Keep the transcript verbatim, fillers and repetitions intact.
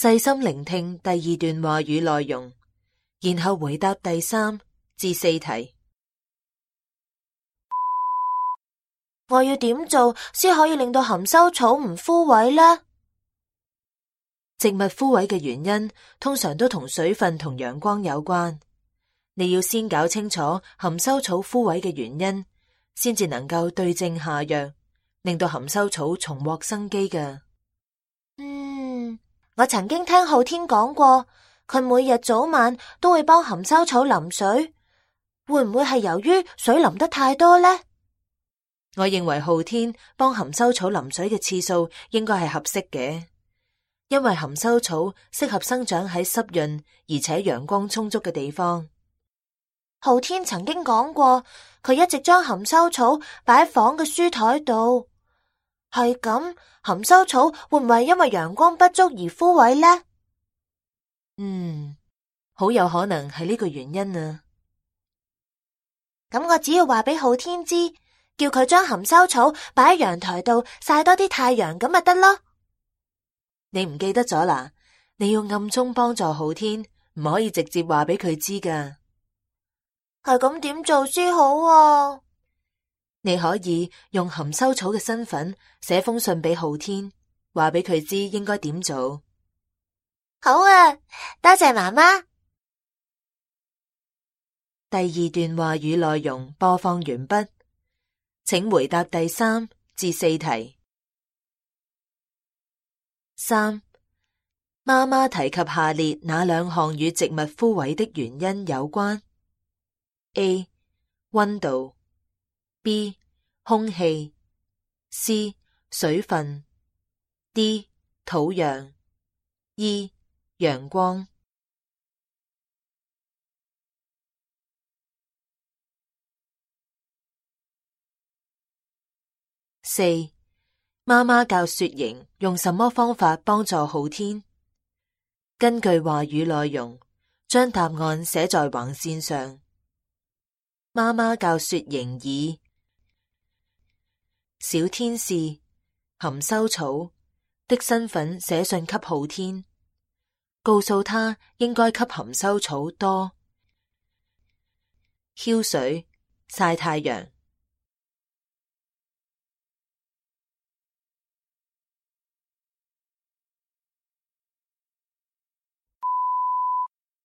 細心聆聽第二段話語內容，然後回答第三至四題。我要點做先可以令到含羞草唔枯萎呢？植物枯萎嘅原因通常都同水分同陽光有關。你要先搞清楚含羞草枯萎嘅原因，先至能夠對症下藥，令到含羞草重獲生機㗎。嗯，我曾經聽浩天講過，佢每日早晚都會幫含羞草淋水，會唔會係由於水淋得太多呢？我認為浩天幫含羞草淋水嘅次數應該係合適嘅，因為含羞草適合生長喺濕潤而且陽光充足嘅地方。浩天曾經講過，佢一直將含羞草擺喺房嘅書台度。係咁，含羞草會唔會因為陽光不足而枯萎呢？嗯，好有可能係呢個原因啊。咁我只要話俾浩天知，叫佢將含羞草擺喺陽台度曬多啲太陽，咁咪得咯。你唔記得咗啦？你要暗中幫助浩天，唔可以直接話俾佢知㗎。係咁點做先好啊？你可以用含羞草嘅身份寫封信俾浩天，話俾佢知應該點做。好啊，多謝媽媽。第二段話語內容播放完畢，請回答第三至四題。三，媽媽提及下列哪兩項與植物枯萎的原因有關？ A. 溫度 B. 空氣 C. 水分 D. 土壤 E. 陽光。四，媽媽教雪瑩用什麼方法幫助浩天？根據話語內容，將答案寫在橫線上。媽媽教雪瑩以小天使含羞草的身份寫信給浩天，告訴他應該給含羞草多澆水、曬太陽。